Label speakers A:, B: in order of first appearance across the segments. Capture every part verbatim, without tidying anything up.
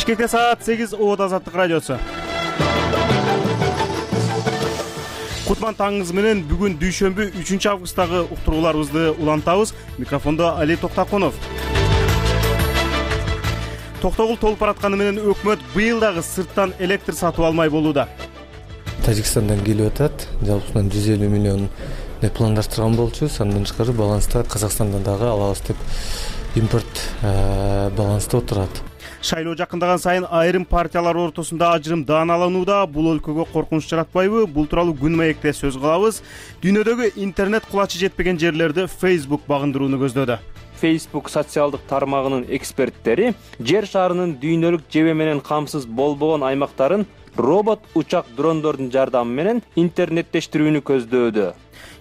A: Бишкекте саат сегиз, Оот Азаттык радиосу. Кутман таңыңыз менен бүгүн дүйшөмбү үчүнчү августтагы уктурууларыбызды улантабыз. Микрофондо Али Токтакунов. Токтогул толуп баратканы менен өкмөт быйыл дагы сырттан электр сатып алмай болууда.
B: Тажикстандан келип атат. Жалпысынан жүз элүү миллион деп пландаштырган болчубуз. Андан тышкары баланста Казакстандан дагы алабыз деп импорт баланста отурат.
A: Шайлоо жакындаган сайын айрым партиялар ортосунда ажырым дааналанууда. Бул өлкөгө коркунуч жаратпайбы? Бул тууралуу Күн маекте сөз кылабыз. Дүйнөдөгү интернет кулачы жетпеген жерлерди Facebook багындырууну көздөдө.
C: Facebook социалдык тармагынын эксперттери жер шарынын дүйнөлүк жебе менен камсыз болбогон аймактарын робот учак дрондордун жардамы менен интернеттештирүүнү көздөдө.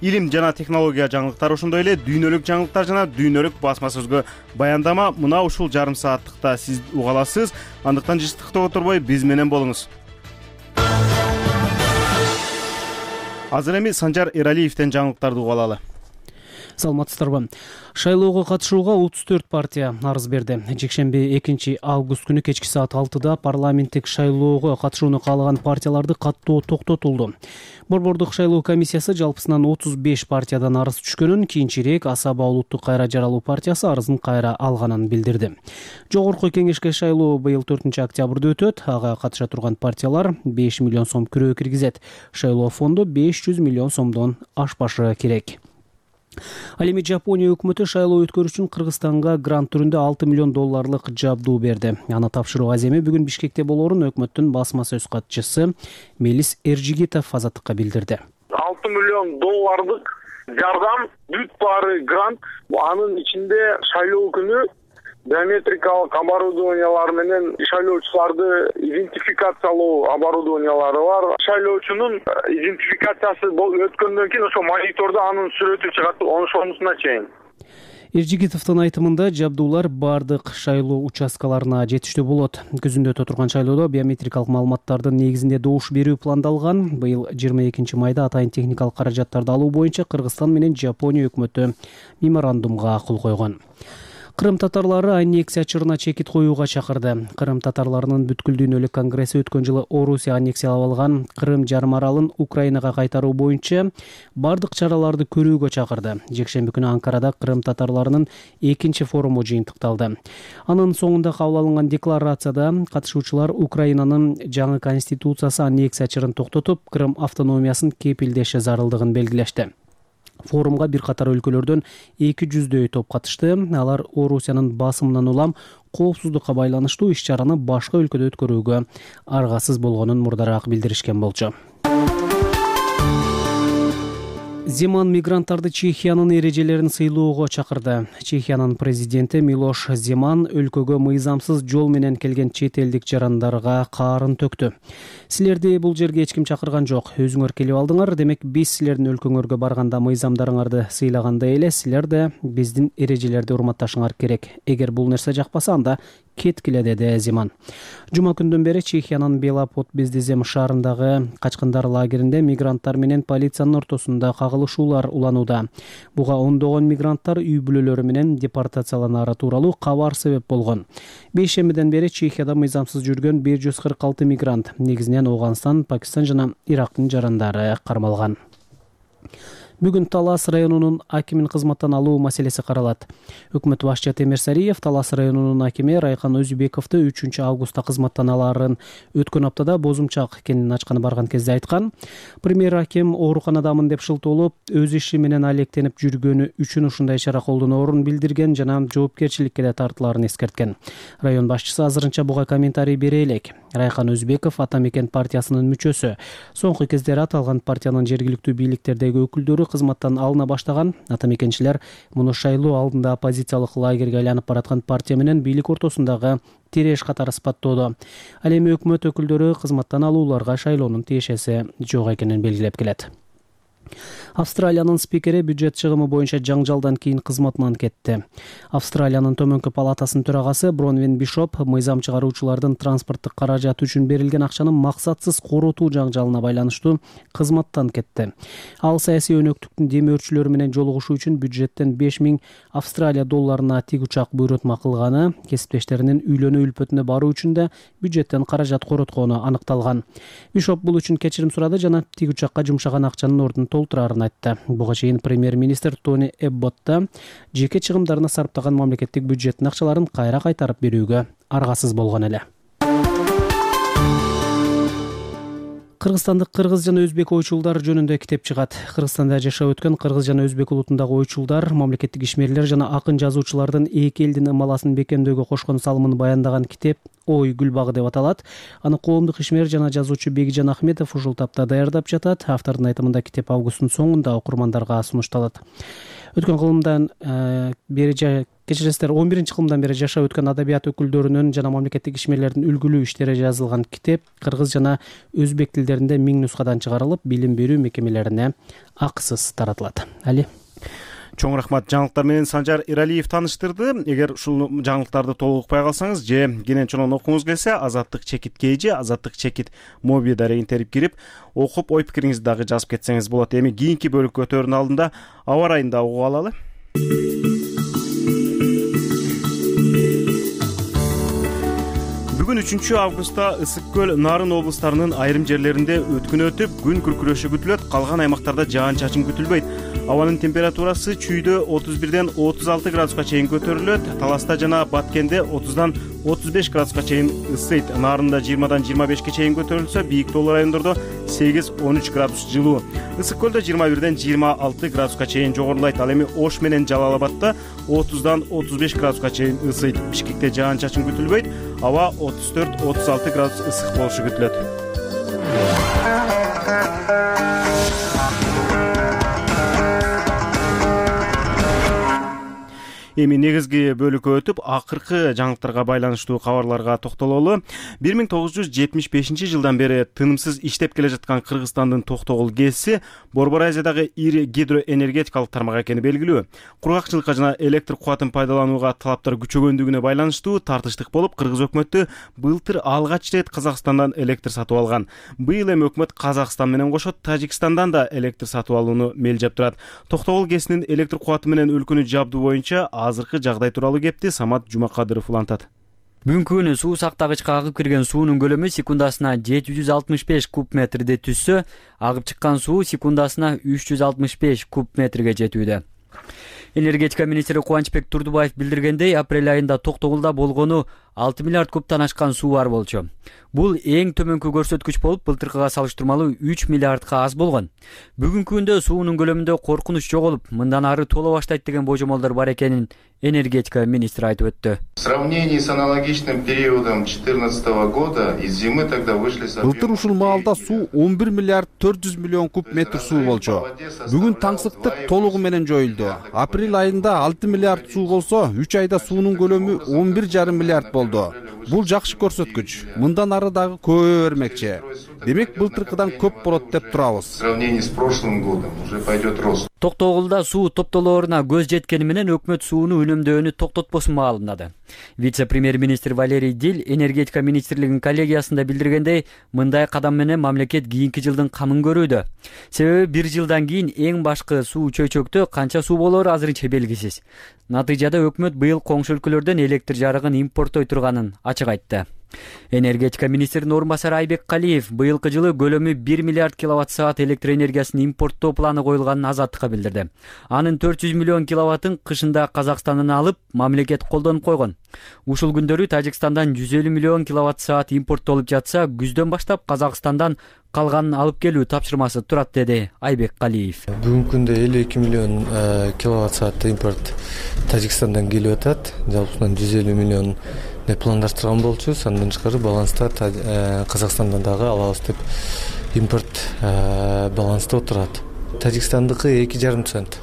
A: Илим жана технология жаңылыктары, ошондой эле дүйнөлүк жаңылыктар жана дүйнөлүк басма сөзгө баяндама мына ушул жарым сааттыкта сиз уга аласыз. Андыктан жыштыкта отурбой биз менен болуңуз. Азыр эми Санжар Эралиевден жаңылыктарды уга алалы.
D: Саламатсыздарбы. Шайлоого катышууга отуз төрт партия арыз берди. Жекшемби экинчи август күнү кечки саат алтыда парламенттик шайлоого катышууну каалаган партияларды каттоо токтотулду. Борбордук шайлоо комиссиясы жалпысынан отуз беш партиядан арыз түшкөнүн, кийинчерээк Асаба улуттук кайра жаралуу партиясы арызын кайра алганын билдирди. Жогорку кеңешке шайлоо быйыл төртүнчү октябрда өтөт. Ага катыша турган партиялар беш миллион сом күрөө киргизет. Шайлоо фонду беш жүз миллион сомдон ашпашы керек. Ал эми Жапония өкмөтү шайлоо өткөрүү үчүн Кыргызстанга грант түрүндө алты миллион долларлык жабдуу берди. Аны тапшыруу аземи бүгүн Бишкекте болоорун өкмөттүн басма сөз катчысы Мелис Эржигитов Азаттыкка билдирди.
E: алты миллион доллардык жардам, бүт баары грант. Анын ичинде шайлоо күнү биометрикалык оборудованиялар менен шайлоочуларды идентификациялоо оборудованиялары бар. Шайлоочунун идентификациясы өткөндөн кийин ошо монитордо анын сүрөтү чыгат, ошонусуна чейин.
D: Эржигитовдун айтымында жабдуулар бардык шайлоо участкаларына жетиштүү болот. Күзүндө өтө турган шайлоодо биометрикалык маалыматтардын негизинде добуш берүү пландалган. Быйыл жыйырма экинчи майда атайын техникалык каражаттарды алуу боюнча Кыргызстан менен Жапония өкмөтү меморандумга кол койгон. Кырым татарлары аннексия чырына чекит коюуга чакырды. Кырым татарларынын бүткүл дүйнөлүк конгресси өткөн жылы Орусия аннексиялап алган Кырым жарым аралын Украинага кайтаруу боюнча бардык чараларды көрүүгө чакырды. Жекшемби күнү Анкарада Кырым татарларынын экинчи форуму жыйынтыкталды. Анын соңунда кабыл алынган декларацияда катышуучулар Украинанын жаңы конституциясы аннексия чырын токтотуп, Кырым автономиясын кепилдеши зарылдыгын белгилешти. Форумга бир катар өлкөлөрдөн эки жүздөй топ катышты. Алар Орусиянын басымынан улам коопсуздукка байланыштуу иш-чараны башка өлкөдө өткөрүүгө аргасыз болгонун мурдараак билдиришкен болчу. Земан мигранттарды Чехиянын эрежелерин сыйлоого чакырды. Чехиянын президенти Милош Земан өлкөгө мыйзамсыз жол менен келген чет элдик жарандарга каарын төктү. Силерди бул жерге эч ким чакырган жок. Өзүңөр келип алдыңар, демек биз силердин өлкөңөргө барганда мыйзамдарыңарды сыйлагандай эле силер да биздин эрежелерди урматташыңар керек. Эгер бул нерсе жакпаса, анда кеткиле, деди Земан. Жума күндөн бери Чехиянын Белапот-Бездезем шаарындагы качкындар лагеринде мигранттар менен полициянын ортосунда кагылышуулар уланууда. Буга ондогон мигранттар үй бүлөлөрү менен депортацияланары тууралуу кабар себеп болгон. Бейшембиден бери Чехияда мыйзамсыз жүргөн бир жүз кырк алты мигрант, негизинен Ооганстан, Пакистан жана Ирактын жарандары кармалган. Бүгүн Талас районунун акимин кызматтан алуу маселеси каралат. Өкмөт башчы Темир Сариев Талас районунун акими Райхан Өзүбековду үчүнчү августта кызматтан алаарын өткөн аптада бозумчак экенин ачканы барган кезде айткан. Премьер аким ооруканадамын деп шылтоолоп, өз иши менен алектенип жүргөнү үчүн ушундай чара колдоноорун билдирген жана жоопкерчиликке да тартылаарын эскерткен. Район башчысы азырынча буга комментарий бере элек. Райхан Өзүбеков Ата Мекен партиясынын мүчөсү. Соңку кездери аталган партиянын жергиликтүү бийликтердеги өкүлдөрү кызматтан алына баштаган. Ата Мекенчилер муну шайлоо алдында оппозициялык лагерге айланып бараткан партия менен бийлик ортосундагы тиреш катары сыпаттоодо. Ал эми өкмөт өкүлдөрү кызматтан алууларга шайлоонун тиешеси жок экенин белгилеп келет. Австралиянын спикери бюджет чыгымы боюнча жаңжалдан кийин кызматынан кетти. Австралиянын төмөнкү палатасынын төрагасы Бронвин Бишоп мыйзам чыгаруучулардын транспорттук каражат үчүн берилген акчаны максатсыз коротуу жаңжалына байланыштуу кызматтан кетти. Ал саясий өнөктүктүн демөөрчүлөрү менен жолугушуу үчүн бюджеттен беш миң Австралия долларына тик учак буйрутма кылганы, кесиптештеринин үйлөнүү үлпөтүнө баруу үчүн да бюджеттен каражат короткону аныкталган. Бишоп бул үчүн кечирим сурады жана тик учакка жумшаган акчанын ордун толтурарын айтты. Буга чейин премьер-министр Тони Эбботт да жеке чыгымдарына сарптаган мамлекеттик бюджеттин акчаларын кайра кайтарып берүүгө аргасыз болгон эле. Кыргызстандык кыргыз жана өзбек ойчулдар жөнүндө китеп чыгат. Кыргызстанда жашап өткөн кыргыз жана өзбек улутундагы ойчулдар, мамлекеттик ишмерлер жана акын жазуучулардын эки элдин ымаласын бекемдөөгө кошкон салымын баяндаган китеп Ой гүл багы деп аталат. Аны коомдук ишмер жана жазуучу Бегижан Ахметов ушул тапта даярдап жатат. Автордун айтымында китеп августтун соңунда окурмандарга сунушталат. Өткөн кылымдан бери кечиресиздер он биринчи кылымдан бери жашап өткөн адабият өкүлдөрүнүн жана мамлекеттик ишмерлердин үлгүлүү иштери жазылган китеп кыргыз жана өзбек тилдеринде миң нускадан чыгарылып, билим берүү мекемелерине акысыз таратылат. Али
A: Чоң рахмат. Жаңылыктар менен Санжар Иралиев тааныштырды. Эгер ушул жаңылыктарды толук укпай калсаңыз же кенен чонон окугуңуз келсе, Азаттык чекит кейжи, Азаттык чекит моби дарегин терип кирип, окуп, ой пикириңизди дагы жазып кетсеңиз болот. Эми кийинки бөлүккө өтөөрдүн алдында аба ырайын да угуп алалы. Бүгүн үчүнчү августта Ысык көл, Нарын облустарынын айрым жерлеринде өткүн өтүп, күн күркүрөшү күтүлөт, калган аймактарда жаан-чачын күтүлбөйт. Абанын температурасы чүйдө отуз бирден отуз алты градуска чейин көтөрүлөт. Таласта жана Баткенде отуздан отуз беш градуска чейин ысыйт. Нарында жыйырмадан жыйырма бешке чейин көтөрүлсө, бийик тоолуу райондордо сегиз он үч градус жылуу. Ысык көлдө жыйырма бирден жыйырма алты градуска чейин жогорулайт. Ал эми Ош менен Жалал-Абадта отуздан отуз беш градуска чейин ысыйт. Бишкекте жаан-чачын күтүлбөйт. Аба отуз төрт отуз алты градус ысык болушу күтүлөт. Эми негизги бөлүккө өтүп, акыркы жаңылыктарга байланыштуу кабарларга токтололу. бир миң тогуз жүз жетимиш бешинчи жылдан бери тынымсыз иштеп келе жаткан Кыргызстандын Токтогул ГЭСи Борбор Азиядагы ири гидроэнергетикалык тармак экени белгилүү. Кургакчылыкка жана электр кубатын пайдаланууга талаптар күчөгөндүгүнө байланыштуу тартыштык болуп, Кыргыз өкмөтү былтыр алгач рет Казакстандан электр сатып алган. Быйыл эми өкмөт Казакстан менен кошо Тажикстандан да электр сатып алууну мелжеп турат. Токтогул ГЭСинин электр кубаты менен өлкөнү жабдуу боюнча азыркы жагдай тууралуу кепти Самат Жумакадыров улантат.
F: Бүгүнкү күнү суу сактагычка агып кирген суунун көлөмү секундасына жети жүз алтымыш беш куб метрди түзсө, агып чыккан суу секундасына үч жүз алтымыш беш куб метрге жетүүдө. Энергетика министри Кубанычбек Турдубаев билдиргендей, апрель айында Токтогулда болгону алты миллиард кубтан ашкан суу бар болчу. Бул эң төмөнкү көрсөткүч болуп, былтыркыга салыштырмалуу үч миллиардка аз болгон. Бүгүнкү күндө суунун көлөмүндө коркунуч жоголуп, мындан ары толо баштайт деген божомолдор бар экенин энергетика министри айтып өттү.
G: В сравнении с аналогичным периодом две тысячи четырнадцатого года из зимы тогда вышли с
H: Былтыр ушул маалда суу он бир миллиард төрт жүз миллион куб метр суу болчу. Бүгүн таңсыктык толугу менен жоюлду. Апрель айында алты миллиард суу болсо, үч айда суунун көлөмү он бир жарым миллиард болду. Бул жакшы көрсөткүч. Мындан ары дагы көбөйө бермекчи. Демек былтыркыдан көп болот деп турабыз.
G: В сравнении с прошлым годом уже пойдет рост.
F: Токтогулда суу топтолооруна көз жеткени менен өкмөт сууну үнөмдөөнү токтотпосун маалымдады. Вице-премьер-министр Валерий Дил энергетика министрлигинин коллегиясында билдиргендей, мындай кадам менен мамлекет кийинки жылдын камын көрүүдө. Себеби бир жылдан кийин эң башкы суу чөйчөктө канча суу болору азырынча белгисиз. Натыйжада өкмөт быйыл коңшу өлкөлөрдөн электр жарыгын импорттой турганын ачык айтты. Энергетика министринин орун басары Айбек Калиев быйылкы жылы көлөмү бир миллиард киловатт саат электр энергиясын импорттоо планы коюлганын Азаттыкка билдирди. Анын төрт жүз миллион киловаттын кышында Казакстандан алып, мамлекет колдонуп койгон. Ушул күндөрү Тажикстандан жүз элүү миллион киловатт саат импорттолуп жатса, күздөн баштап Казакстандан калганын алып келүү тапшырмасы турат, деди Айбек Калиев.
B: Бүгүнкү күндө элүү эки миллион киловатт саат импорт Тажикстандан келип атат. Жалпысынан жүз элүү миллион пландаштырган болчубуз. Андан тышкары баланста Казакстандан дагы алабыз деп импорт баланста отурат. Тажикстандыкы эки жарым цент.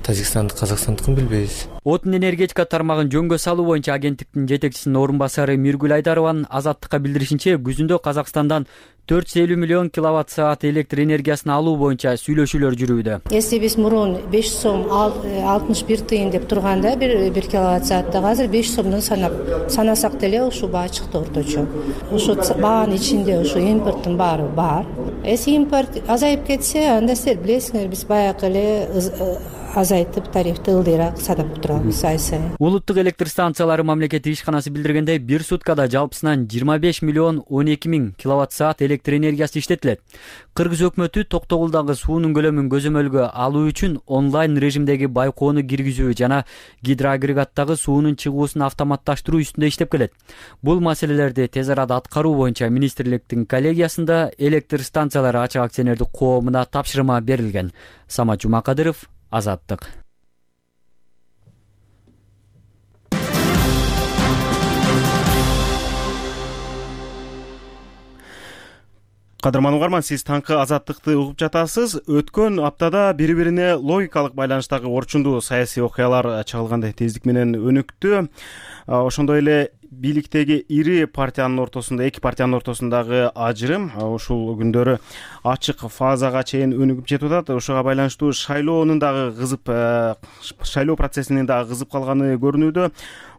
B: Тажикстанды Казакстандыкын билбейбиз.
F: Отун энергетика тармагын жөнгө салуу боюнча агенттиктин жетекчисинин орун басары Миргүл Айдарованын Азаттыкка билдиришинче, күзүндө Казакстандан төрт жүз элүү миллион киловатт саат электр энергиясын алуу боюнча сүйлөшүүлөр жүрүүдө.
I: Если биз мурун беш сом алтымыш бир тыйын деп турганда бир бир киловатт сааттык, азыр беш сомдон санап санасак деле ушул баа чыкты орточо. Ушу баанын ичинде ушу импорттун баары бар. Эси импорт азайып кетсе, анда силер билесиңер, биз баягы эле азайтып тарифти ылдыйраак санап турабыз ай сайын.
F: Улуттук электр станциялары мамлекеттик ишканасы билдиргендей, бир суткада жалпысынан жыйырма беш миллион он эки миң киловатт саат электр энергиясы иштетилет. Кыргыз өкмөтү Токтогулдагы суунун көлөмүн көзөмөлгө алуу үчүн онлайн режимдеги байкоону киргизүү жана гидроагрегаттагы суунун чыгуусун автоматташтыруу үстүндө иштеп келет. Бул маселелерди тез арада аткаруу боюнча министрликтин коллегиясында электр станциялары ачык акционердик коомуна тапшырма берилген. Самат Жумакадыров, Азаттык.
A: Кадырман угарман, сиз таңкы Азаттыкты угуп жатасыз. Өткөн аптада бири-бирине логикалык байланыштагы орчундуу саясий окуялар чагылгандай тездик менен өнүктү. Ошондой эле бийликтеги ири партиянын ортосунда, эки партиянын ортосундагы ажырым ушул күндөрү ачык фазага чейин өнүгүп жетип атат. Ошого байланыштуу шайлоонун дагы кызып, шайлоо процессинин дагы кызып калганы көрүнүүдө.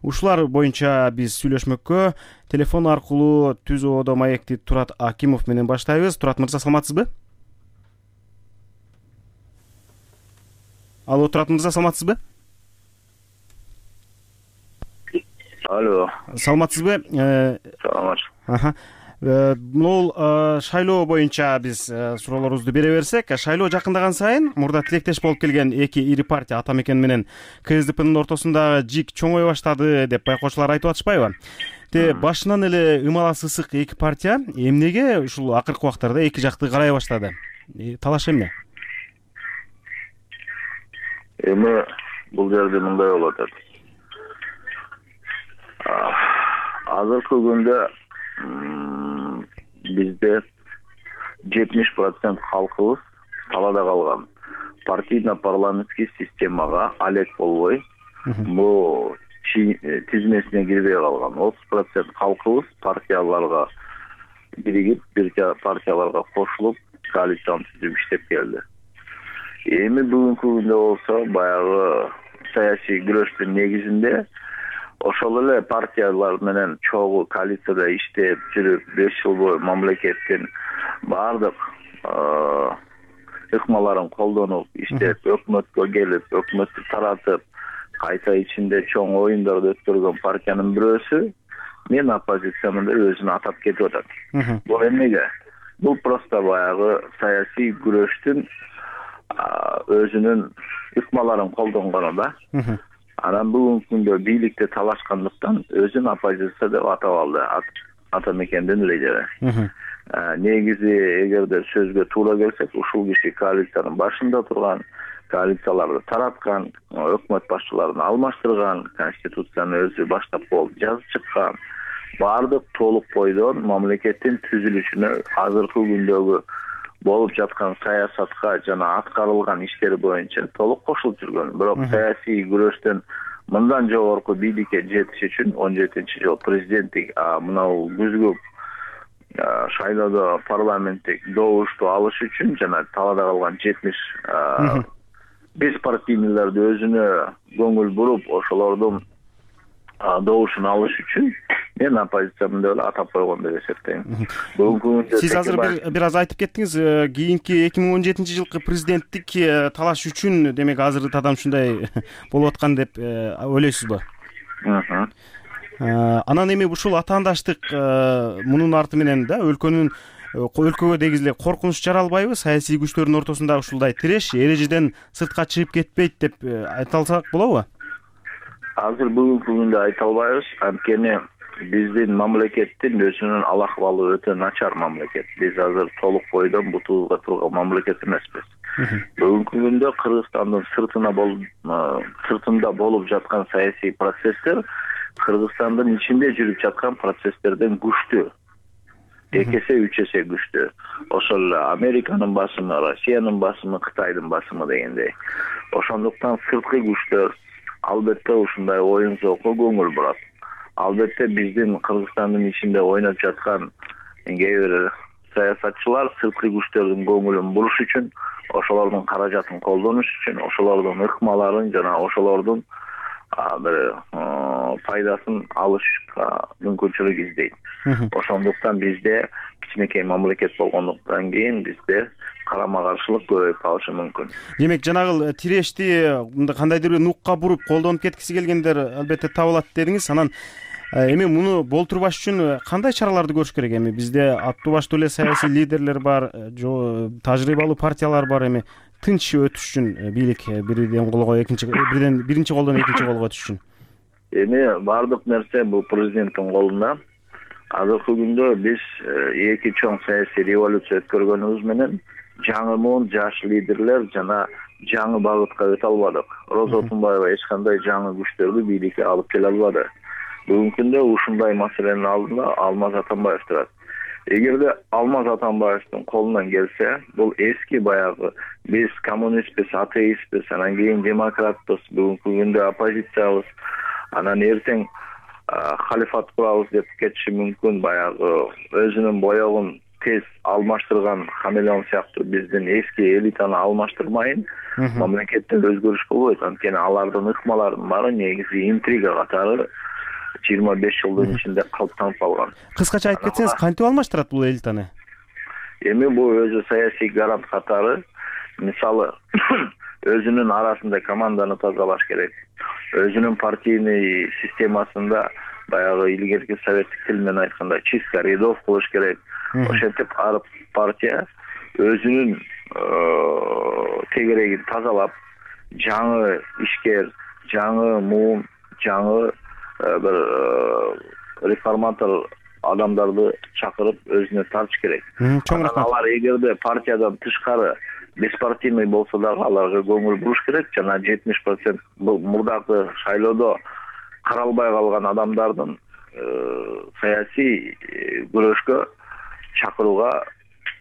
A: Ушулар боюнча биз сүйлөшмөккө телефон аркылуу Түз Оодо маекти Турат Акимов менен баштайбыз. Турат мырза, саламатсызбы? Алло, Турат мырза, саламатсызбы?
J: Алло.
A: Саламатсызбы?
J: Саламат.
A: Аха. Бул шайлоо боюнча биз суроолорубузду бере берсек, шайлоо жакындаган сайын мурда тилектеш болуп келген эки ири партия Ата Мекен менен КСДПнын ортосундагы жик чоңой баштады деп байкоочулар айтып атышпайбы? Те башынан эле ымаласы ысык эки партия эмнеге ушул акыркы убактарда эки жакты карай баштады? Талаш эмне?
J: Эми бул жерде мындай болуп атат. Азыркы күндө бизде жетимиш процент калкыбыз талаада калган. Партийно-парламенттик системага алек болбой, бул тизмесине кирбей калган. отуз процент калкыбыз партияларга биригип, бир партияларга кошулуп, коалицион түзүп иштеп келди. Эми бүгүнкү күндө болсо баягы саясий күрөштүн негизинде ошол эле партиялар менен чогуу коалицияда иштеп жүрүп, беш жыл бою мамлекеттин баардык ыкмаларын колдонуп иштеп, өкмөткө келип, өкмөттү таратып, кайта ичинде чоң оюндарды өткөргөн партиянын бирөөсү мен оппозициямын деп өзүн атап кетип атат. Бул эмнеге? Бул просто баягы саясий күрөштүн өзүнүн ыкмаларын колдонгону да. Анан бүгүнкү күндө бийликте талашкандыктан өзүн оппозиция деп атап алды Ата Мекендин лидери. Негизи эгерде сөзгө туура келсек, ушул киши коалициянын башында турган, коалицияларды тараткан, өкмөт башчыларын алмаштырган, конституцияны өзү баштап болуп жазып чыккан, баардык толук бойдон мамлекеттин түзүлүшүнө азыркы күндөгү болуп жаткан саясатка жана аткарылган иштер боюнча толук кошулуп жүргөн. Бирок саясий күрөштөн мындан жогорку бийликке жетиш үчүн он жетинчи жыл президенттик мынау күзгү шайлоодо парламенттик добушту алыш үчүн жана талаада калган жетимиш беспартийлерди өзүнө көңүл буруп, ошолордун добушун алыш үчүн мен оппозициямын деп атап койгон деп эсептейм.
A: Сиз азыр бир аз айтып кеттиңиз, кийинки эки миң он жетинчи жылкы президенттик талаш үчүн демек азыркы ушундай болуп аткан деп ойлойсузбу? Анан эми ушул атаандаштык мунун арты менен да өлкөнүн өлкөгө дегиз эле коркунуч жаралбайбы? Саясий күчтөрдүн ортосунда ушулдай тиреш эрежеден сыртка чыгып кетпейт деп айта алсак болобу?
J: Азыр бүгүнкү күндө айта албайбыз, анткени биздин мамлекеттин өзүнүн ал акыбалы өтө начар мамлекет. Биз азыр толук бойдон бутубузга турган мамлекет эмеспиз. Бүгүнкү күндө Кыргызстандын сыртына болуп сыртында болуп жаткан саясий процесстер Кыргызстандын ичинде жүрүп жаткан процесстерден күчтүү. эки эсе, үч эсе күчтүү. Ошол эле Американын басымы, Россиянын басымы, Кытайдын басымы дегендей. Ошондуктан сырткы күчтөр албетте ушундай оюн зоокко көңүл бурат. Албетте биздин Кыргызстандын ичинде ойноп жаткан кээ бир саясатчылар сырткы күчтөрдүн көңүлүн буруш үчүн, ошолордун каражатын колдонуш үчүн, ошолордун ыкмаларын жана ошолордун бир пайдасын алышка мүмкүнчүлүк издейт. Ошондуктан бизде кичинекей мамлекет болгондуктан кийин бизде карама каршылык көбөйүп калышы мүмкүн.
A: Демек жанагы тирешти кандайдыр бир нукка буруп колдонуп кеткиси келгендер албетте табылат дедиңиз. Анан эми муну болтурбаш үчүн кандай чараларды көрүш керек? Эми бизде аттуу баштуу эле саясий лидерлер бар, тажрыйбалуу партиялар бар. Эми тынч өтүш үчүн бийлик бирден колго экинчи бирден биринчи колдон экинчи колго өтүш үчүн
J: эми баардык нерсе бул президенттин колунда. Азыркы күндө биз эки чоң саясий революция өткөргөнүбүз менен жаңы муун жаш лидерлер жана жаңы багытка өтө албадык. Роза Отунбаева эч кандай жаңы күчтөрдү бийликке алып келе албады. Бүгүнкү күндө ушундай маселенин алдында Алмаз Атамбаев турат. Эгерде Алмаз Атамбаевдин колунан келсе, бул эски баягы биз коммунистпиз, атеистпиз, анан кийин демократпыз, бүгүнкү күндө оппозициябыз, анан эртең халифат курабыз деп кетиши мүмкүн, баягы өзүнүн боёгун тез алмаштырган хамелеон сыяктуу биздин эски элитаны алмаштырмайын, мамлекетте өзгөрүш болбойт. Анткени алардын ыкмаларынын баары негизи интрига катары жыйырма беш жылдын ичинде калыптанып калган.
A: Кыскача айтып кетсеңиз, кантип алмаштырат бул элитаны?
J: Эми бул өзү саясий гарант катары, мисалы, өзүнүн арасында команданы тазалаш керек. Өзүнүн партийный системасында баягы илгерки советтик тил менен айтканда чистка рядов кылыш керек. Ошентип ар партия өзүнүн тегерегин тазалап, жаңы ишкер, жаңы муун, жаңы бир реформатор адамдарды чакырып өзүнө тартыш керек. Алар эгерде партиядан тышкары беспартийный болсо дагы аларга көңүл буруш керек жана жетимиш процент мурдагы шайлоодо каралбай калган адамдардын саясий күрөшкө чакырууга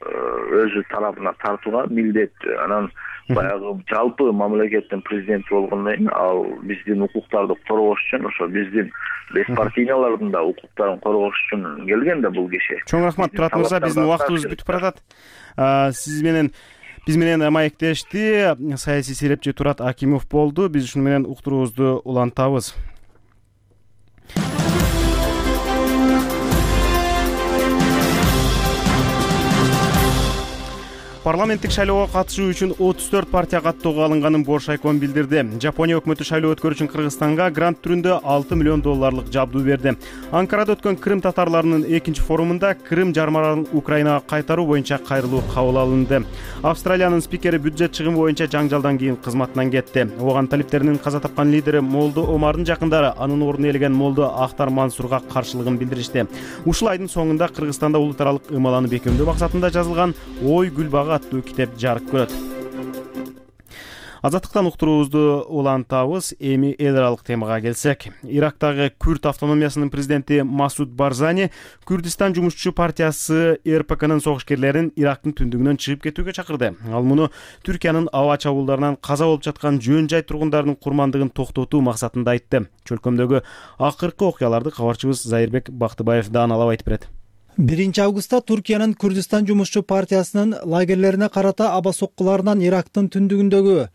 J: өзү тарабына тартууга милдеттүү. Анан баягы жалпы мамлекеттин президенти болгондон кийин ал биздин укуктарды коргош үчүн, ошо биздин беспартийлардын да укуктарын коргош үчүн келген да бул киши.
A: Чоң рахмат, Турат мырза, биздин убактыбыз бүтүп баратат. Сиз менен биз менен маектешти саясий серепчи Турат Акимов болду. Биз ушуну менен уктуруубузду улантабыз. Парламенттик шайлоого катышуу үчүн отуз төрт партия каттоого алынганын Бош Айкон билдирди. Жапония өкмөтү шайлоо өткөрүү үчүн Кыргызстанга грант түрүндө алты миллион долларлык жабдуу берди. Анкарада өткөн Крым татарларынын экинчи форумунда Крым жармаларын Украинага кайтаруу боюнча кайрылуу кабыл алынды. Австралиянын спикери бюджет чыгымы боюнча жаңжалдан кийин кызматынан кетти. Ооган талиптеринин каза тапкан лидери Молдо Омардын жакындары анын ордуна ээлеген Молдо Ахтар Мансурга каршылыгын билдиришти. Ушул айдын соңунда Кыргызстанда улут аралык ымаланы бекемдөө максатында жазылган Ой Гүлбагы аттуу китеп жарык көрөт. Азаттыктан уктуруубузду улантабыз. Эми эл аралык темага келсек, Ирактагы Күрд автономиясынын президенти Масуд Барзани Күрдистан жумушчу партиясы эр пэ кэнин согушкерлерин Ирактын түндүгүнөн чыгып кетүүгө чакырды. Ал муну Түркиянын аба чабуулдарынан каза болуп жаткан жөн жай тургундарынын курмандыгын токтотуу максатында айтты. Чөлкөмдөгү акыркы окуяларды кабарчыбыз Зайырбек Бактыбаев дааналап айтып берет.
K: биринчи августта Туркиянын Күрдистан жумушчу партиясынын лагерлерине карата аба соккуларынан Ирактын түндүгүндөгү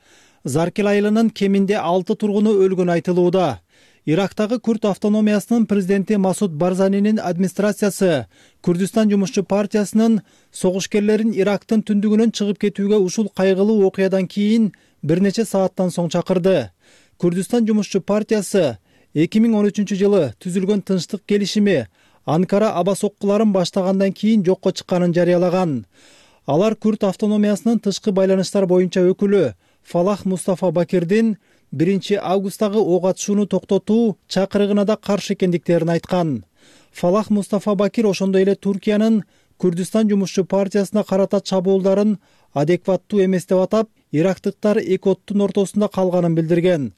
K: Заркел айылынын кеминде алты тургуну өлгөн айтылууда. Ирактагы Күрд автономиясынын президенти Масуд Барзанинин администрациясы Күрдистан жумушчу партиясынын согушкерлерин Ирактын түндүгүнөн чыгып кетүүгө ушул кайгылуу окуядан кийин бир нече сааттан соң чакырды. Күрдистан жумушчу партиясы эки миң он үчүнчү жылы түзүлгөн тынчтык келишими Анкара аба соккуларын баштагандан кийин жокко чыкканын жарыялаган. Алар Күрд автономиясынын тышкы байланыштар боюнча өкүлү Фалах Мустафа Бакирдин биринчи августтагы ок атышууну токтотуу чакырыгына да каршы экендиктерин айткан. Фалах Мустафа Бакир ошондой эле Туркиянын Күрдистан жумушчу партиясына карата чабуулдарын адекваттуу эмес деп атап, ирактыктар эки оттун ортосунда калганын билдирген.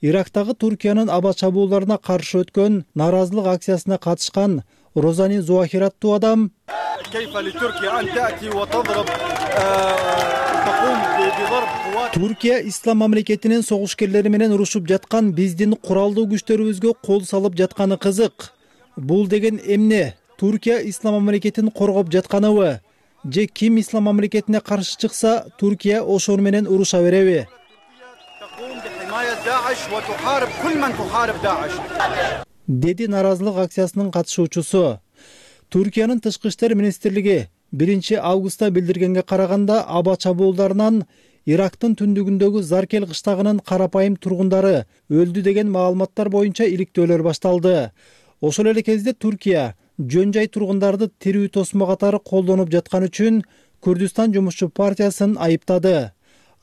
K: Ирактагы Туркиянын аба чабуулдарына каршы өткөн нааразылык акциясына катышкан Розани Зуахир аттуу адам Туркия ислам мамлекетинин согушкерлери менен урушуп жаткан биздин куралдуу күчтөрүбүзгө кол салып жатканы кызык. Бул деген эмне? Туркия ислам мамлекетин коргоп жатканыбы? Же ким ислам мамлекетине каршы чыкса, Туркия ошону менен уруша береби? Деди наразылык акциясынын катышуучусу. Туркиянын тышкы иштер министрлиги биринчи августта билдиргенге караганда, аба чабуулдарынан Ирактын түндүгүндөгү Заркел кыштагынын карапайым тургундары өлдү деген маалыматтар боюнча иликтөөлөр башталды. Ошол эле кезде Туркия жөн жай тургундарды тирүү тосмо катары колдонуп жаткан үчүн Күрдүстан жумушчу партиясын айыптады.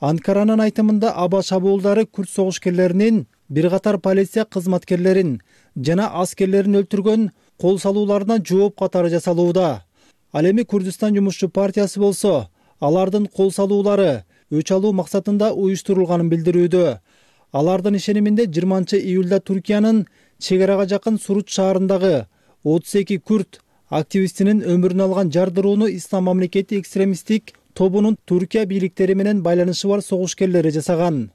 K: Анкаранын айтымында аба чабуулдары күрд согушкерлеринин бир катар полиция кызматкерлерин жана аскерлерин өлтүргөн кол салууларына жооп катары жасалууда. Ал эми Күрдүстан жумушчу партиясы болсо, алардын кол салуулары өч алуу максатында уюштурулганын билдирүүдө. Алардын ишениминде жыйырманчы июлда Туркиянын чек арага жакын Суруч шаарындагы отуз эки күрд активистинин өмүрүн алган жардырууну ислам мамлекети экстремисттик тобунун Туркия бийликтери менен байланышы бар согушкерлери жасаган.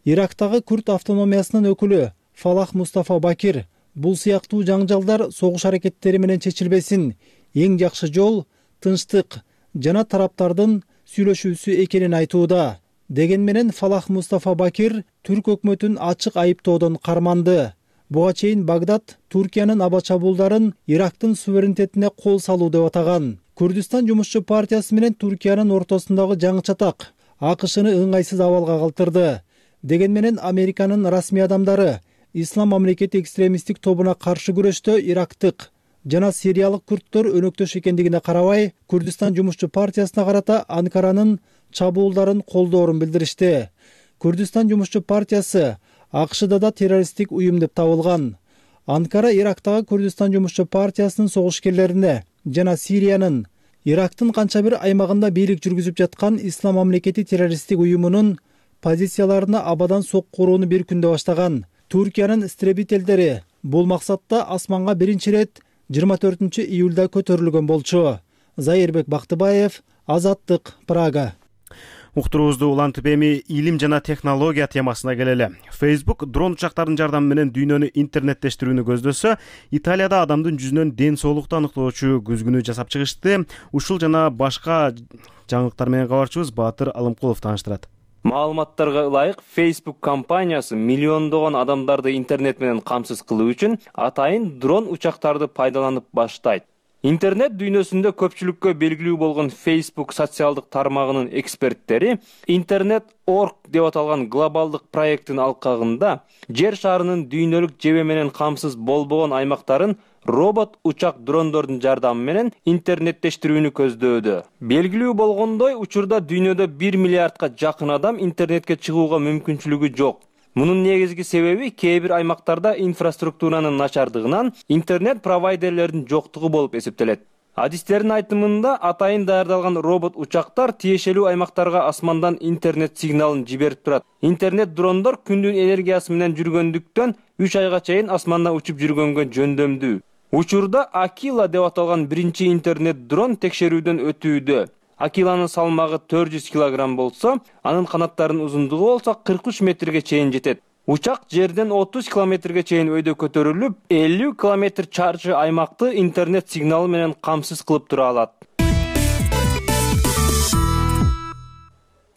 K: Ирактагы күрд автономиясынын өкүлү Фалах Мустафа Бакир бул сыяктуу жаңжалдар согуш аракеттери менен чечилбесин эң жакшы жол тынчтык жана тараптардын сүйлөшүүсү экенин айтууда. Деген менен Фалах Мустафа Бакир түрк өкмөтүн ачык айыптоодон карманды. Буга чейин Багдад Туркиянын аба чабуулдарын Ирактын суверенитетине кол салуу деп атаган. Күрдүстан жумушчу партиясы менен Туркиянын ортосундагы жаңы чатак АКШны ыңгайсыз абалга калтырды. Деген менен Американын расмий адамдары ислам мамлекети экстремисттик тобуна каршы күрөштө ирактык жана сириялык күрдтөр өнөктөш экендигине карабай, Күрдүстан жумушчу партиясына карата Анкаранын чабуулдарын колдоорун билдиришти. Күрдүстан жумушчу партиясы АКШда да террористтик уюм деп табылган. Анкара Ирактагы Күрдүстан жумушчу партиясынын согушкерлерине жана Сириянын Ирактын канча бир аймагында бийлик жүргүзүп жаткан ислам мамлекети террористтик уюмунун позицияларына абадан сокку урууну бир күндө баштаган. Туркиянын истребителдери бул максатта асманга биринчи ирет жыйырма төртүнчү июлда көтөрүлгөн болчу. Зайырбек Бактыбаев, Азаттык, Прага.
A: Уктуруубузду улантып эми илим жана технология темасына келели. Facebook дрон учактарынын жардамы менен дүйнөнү интернеттештирүүнү көздөсө, Италияда адамдын жүзүнөн ден соолукту аныктоочу көзгүнү жасап чыгышты. Ушул жана башка жаңылыктар менен кабарчыбыз Баатыр Алымкулов тааныштырат.
C: Маалыматтарга ылайык, Facebook компаниясы миллиондогон адамдарды интернет менен камсыз кылуу үчүн атайын дрон учактарды пайдаланып баштайт. Интернет дүйнөсүндө көпчүлүккө белгилүү болгон Facebook социалдык тармагынын эксперттери интернет точка орг деп аталган глобалдык проекттин алкагында жер шарынын дүйнөлүк жебе менен камсыз болбогон аймактарын робот учак дрондордун жардамы менен интернеттештирүүнү көздөөдө. Белгилүү болгондой, учурда дүйнөдө бир миллиардка жакын адам интернетке чыгууга мүмкүнчүлүгү жок. Мунун негизги себеби кээ бир аймактарда инфраструктуранын начардыгынан интернет провайдерлердин жоктугу болуп эсептелет. Адистердин айтымында атайын даярдалган робот учактар тиешелүү аймактарга асмандан интернет сигналын жиберип турат. Интернет дрондор күндүн энергиясы менен жүргөндүктөн үч айга чейин асманда учуп жүргөнгө жөндөмдүү. Учурда Акила деп аталган биринчи интернет дрон текшерүүдөн өтүүдө. Акиланын салмагы төрт жүз килограмм болсо, анын канаттарынын узундугу болсо кырк үч метрге чейин жетет. Учак жерден отуз километрге чейин өйдө көтөрүлүп, элүү километр чарчы аймакты интернет сигналы менен камсыз кылып тура алат.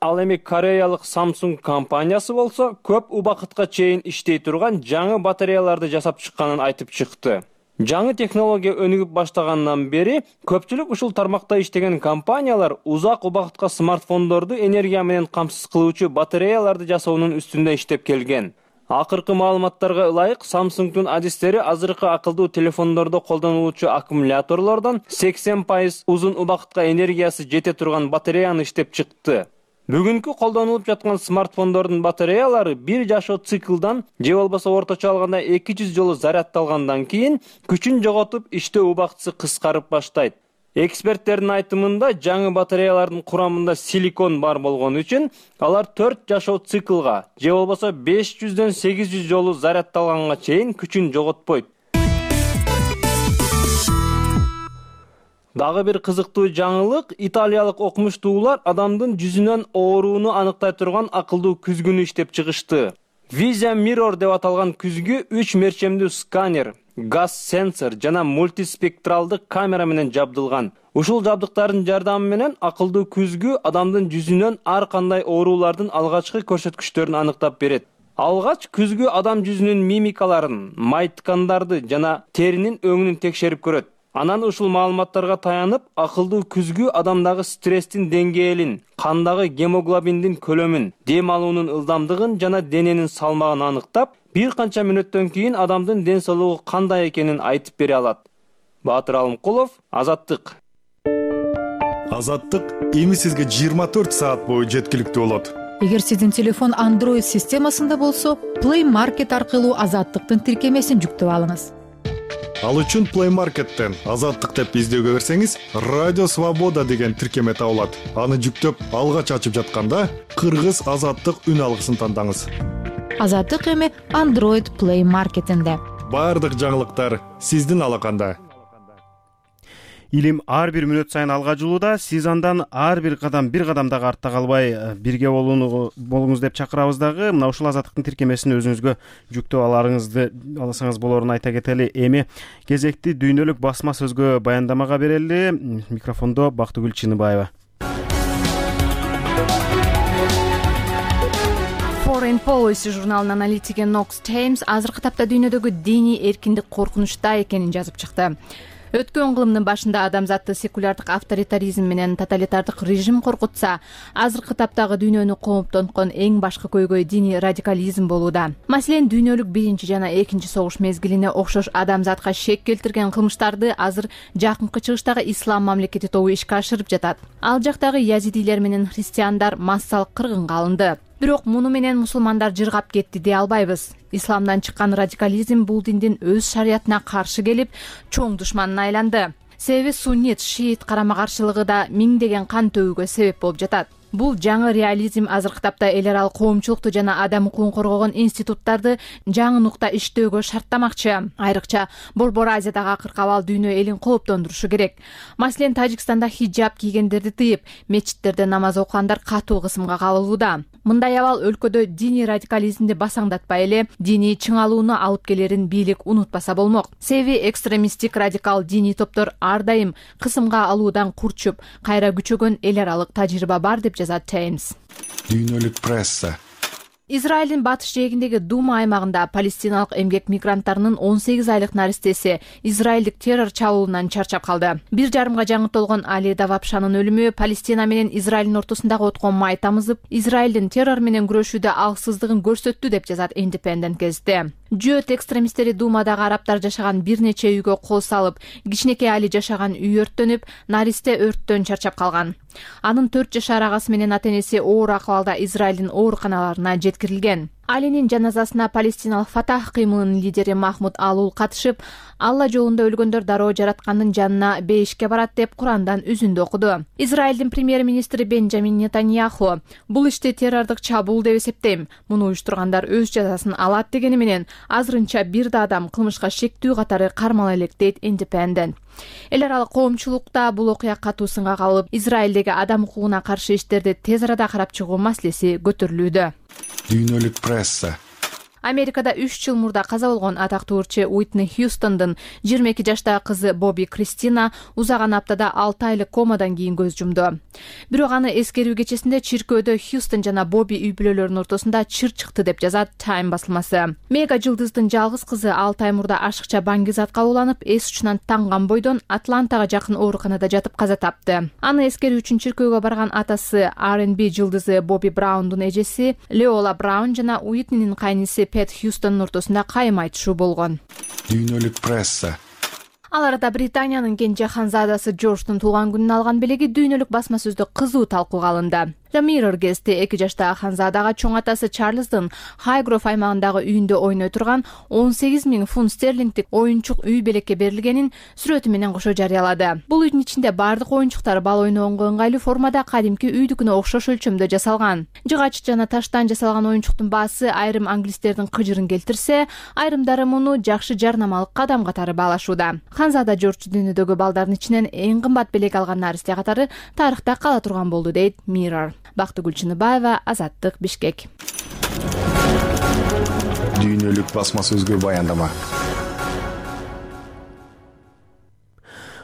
C: Ал эми кореялык Samsung компаниясы болсо, көп убакытка чейин иштей турган жаңы батареяларды жасап чыкканын айтып чыкты. Жаңы технология өнүгүп баштагандан бери көпчүлүк ушул тармакта иштеген компаниялар узак убакытка смартфондорду энергия менен камсыз кылуучу батареяларды жасоонун үстүндө иштеп келген. Акыркы маалыматтарга ылайык, Samsung'дун адистери азыркы акылдуу телефондордо колдонулуучу аккумуляторлордон сексен пайыз узун убакытка энергиясы жете турган батареяны иштеп чыкты. Бүгүнкү колдонулуп жаткан смартфондордун батареялары бир жашоо циклдан же болбосо орточо алганда эки жүз жолу зарядталгандан кийин күчүн жоготуп, иштөө убактысы кыскарып баштайт. Эксперттердин айтымында, жаңы батареялардын курамында силикон бар болгон үчүн алар төрт жашоо циклга же болбосо беш жүздөн сегиз жүз жолу зарядталганга чейин күчүн жоготпойт. Дагы бир кызыктуу жаңылык, италиялык окумуштуулар адамдын жүзүнөн ооруну аныктай турган акылдуу күзгүнү иштеп чыгышты. Vision Mirror деп аталган күзгү үч мерчемдүү сканер, газ сенсор жана мультиспектралдык камера менен жабдылган. Ушул жабдыктардын жардамы менен акылдуу күзгү адамдын жүзүнөн ар кандай оорулардын алгачкы көрсөткүчтөрүн аныктап берет. Алгач күзгү адам жүзүнүн мимикаларын, май ткандарды жана теринин өңүнүн текшерип көрөт. Анан ушул маалыматтарга таянып, акылдуу күзгү адамдагы стресстин деңгээлин, кандагы гемоглобиндин көлөмүн, дем алуунун ылдамдыгын жана дененин салмагын аныктап, бир канча мүнөттөн кийин адамдын ден соолугу кандай экенин айтып бере алат. Баатыр Алымкулов, Азаттык.
L: Азаттык эми сизге жыйырма төрт саат бою жеткиликтүү болот.
M: Эгер сиздин телефон Android системасында болсо, Play Market аркылуу Азаттыктын тиркемесин жүктөп алыңыз.
L: Ал үчүн Play Market'тен Азаттык деп издөөгө берсеңиз, Радио Свобода деген тиркеме табылат. Аны жүктөп, алгач ачып жатканда Кыргыз Азаттык үн алгысын тандаңыз.
M: Азаттык эми Android Play Market'инде.
L: Бардык жаңылыктар сиздин алаканда.
A: Илим ар бир мүнөт сайын алга жылууда, сиз андан ар бир кадам бир кадам дагы артта калбай бирге болуңуз деп чакырабыз дагы. Мына ушул Азаттыктын тиркемесин өзүңүзгө жүктөп аларыңызды алсаңыз болоорун айта кетели. Эми кезекти дүйнөлүк басма сөзгө баяндамага берели. Микрофондо Бактыгүл Чыныбаева.
N: Foreign Policy журналынын аналитиги Knox Thames азыркы тапта дүйнөдөгү диний эркиндик коркунучта экенин жазып чыкты. Өткөн кылымдын башында адамзатты секулярдык авторитаризм менен тоталитардык режим коркутса, азыркы таптагы дүйнөнү кооптонткон эң башкы көйгөй диний радикализм болууда. Маселен, дүйнөлүк биринчи жана экинчи согуш мезгилине окшош адамзатка шек келтирген кылмыштарды азыр жакынкы чыгыштагы ислам мамлекети тобу ишке ашырып жатат. Ал жактагы язидилер менен христиандар массалык кыргынга алынды. Бирок муну менен мусулмандар жыргап кетти дей албайбыз. Исламдан чыккан радикализм бул диндин өз шариятына каршы келип, чоң душманына айланды. Себеби суннит, шиит карама-каршылыгы да миңдеген кан төгүүгө себеп болуп жатат. Бул жаңы реализм азыркы тапта эл аралык коомчулукту жана адам укугун коргогон институттарды жаңы нукта иштөөгө шарттамакчы. Айрыкча Борбор Азиядагы акыркабал дүйнө элин кооптондурушу керек. Маселен, Тажикстанда хиджаб кийгендерди тыйып, мечиттерде намаз окугандар катуу кысымга кабылууда. Мындай абал өлкөдө диний радикализмди басаңдатпай эле диний чыңалууну алып келерин бийлик унутпаса болмок. Себеби экстремисттик радикал диний топтор ар дайым кысымга алуудан курчуп, кайра күчөгөн эл аралык тажрыйба бар деп жазат Times.
L: Дүйнөлүк пресса.
N: Израилдин батыш жээгиндеги Дума аймагында палестиналык эмгек мигранттарынын он сегиз айлык наристеси израилдик террор чабуулунан чарчап калды. Бир жарымга жаңы толгон Али Давапшанын өлүмү Палестина менен Израилдин ортосундагы откон май тамызып, Израилдин террор менен күрөшүүдө алсыздыгын көрсөттү деп жазат Independent газети. Жөөт экстремисттери Думадагы арабтар жашаган бир нече үйгө кол салып, кичинекей Али жашаган үй өрттөнүп, наристе өрттөн чарчап калган. Анын төрт жашар агасы менен ата энеси оор акыбалда Израилдин ооруканаларына жеткирилген. Алинин жаназасына палестиналык Фатах кыймылынын лидери Махмуд Алул катышып, Алла жолунда өлгөндөр дароо жараткандын жанына бейишке барат деп Курандан үзүндү окуду. Израилдин премьер-министри Бенджамин Нетаньяху: "Бул ишти террордук чабуул деп эсептейм. Муну уюштургандар өз жазасын алат" дегени менен азырынча бир да адам кылмышка шектүү катары кармала элек дейт Independent. Эл аралык коомчулукта бул окуя катуу сынга кабылып, Израилдеги адам укугуна каршы иштерди тез арада карап чыгуу маселеси көтөрүлүүдө.
L: Дүйнөлүк пресса.
N: Америкада үч жыл мурда каза болгон атактуу ырчы Уитни Хьюстондун жыйырма эки жаштагы кызы Боби Кристина узаган аптада алты айлык комадан кийин көз жумду. Бирок аны эскерүү кечесинде чиркөөдө Хьюстон жана Боби үй бүлөлөрүнүн ортосунда чыр чыкты деп жазат Time басылмасы. Мега жылдыздын жалгыз кызы алты ай мурда ашыкча баңгизатка уланып, эс учунан танган бойдон Атлантага жакын ооруканада жатып каза тапты. Аны эскерүү үчүн чиркөөгө барган атасы ар энд би жылдызы Боби Браундун эжеси Леола Браун жана Уитнинин кайниси Пет Хьюстондун ортосунда кайым айтышуу болгон.
L: Дүйнөлүк пресса.
N: Ал арада Британиянын кенже ханзадасы Джордждун туулган күнүн алган белеги дүйнөлүк басма сөздө кызуу талкууга алынды. The Mirror кезти эки жаштагы Ханзадага чоң атасы Чарльздын Хайгроф аймагындагы үйүндө ойной турган он сегиз миң фунт стерлингдик оюнчук үй белекке берилгенин сүрөтү менен кошо жарыялады. Бул үйдүн ичинде бардык оюнчуктар бала ойногонго ыңгайлуу формада кадимки үйдүкүнө окшош өлчөмдө жасалган. Жыгач жана таштан жасалган оюнчуктун баасы айрым англистердин кыжырын келтирсе, айрымдары муну жакшы жарнамалык кадам катары баалашууда. Ханзада Жорж дүйнөдөгү балдардын ичинен эң кымбат белек алган наристе катары тарыхта кала турган болду, дейт Mirror. Бактыгүл Чыныбаева, Азаттык, Бишкек.
L: Дүйнөлүк басма сөзгө баяндама.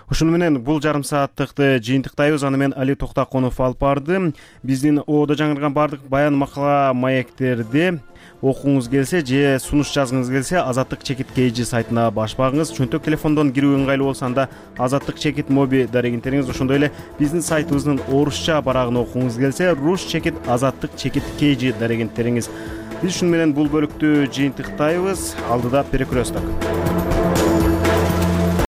A: Ушуну менен бул жарым сааттыкты жыйынтыктайбыз. Аны мен Али Токтаконов алып барды. Биздин оодо жаңырган бардык баян макала маектерди окуңуз келсе же сунуш жазгыңыз келсе, Азаттык чекит kg сайтына баш багыңыз. Чөнтөк телефондон кирүү ыңгайлуу болсо анда Азаттык чекит моби дарегинтериңиз. Ошондой эле биздин сайтыбыздын орусча барагын окуңуз келсе, Руш чекит Азаттык чекит kg дарегинтериңиз. Биз ушуну менен бул бөлүктү жыйынтыктайбыз. Алдыда перекресток.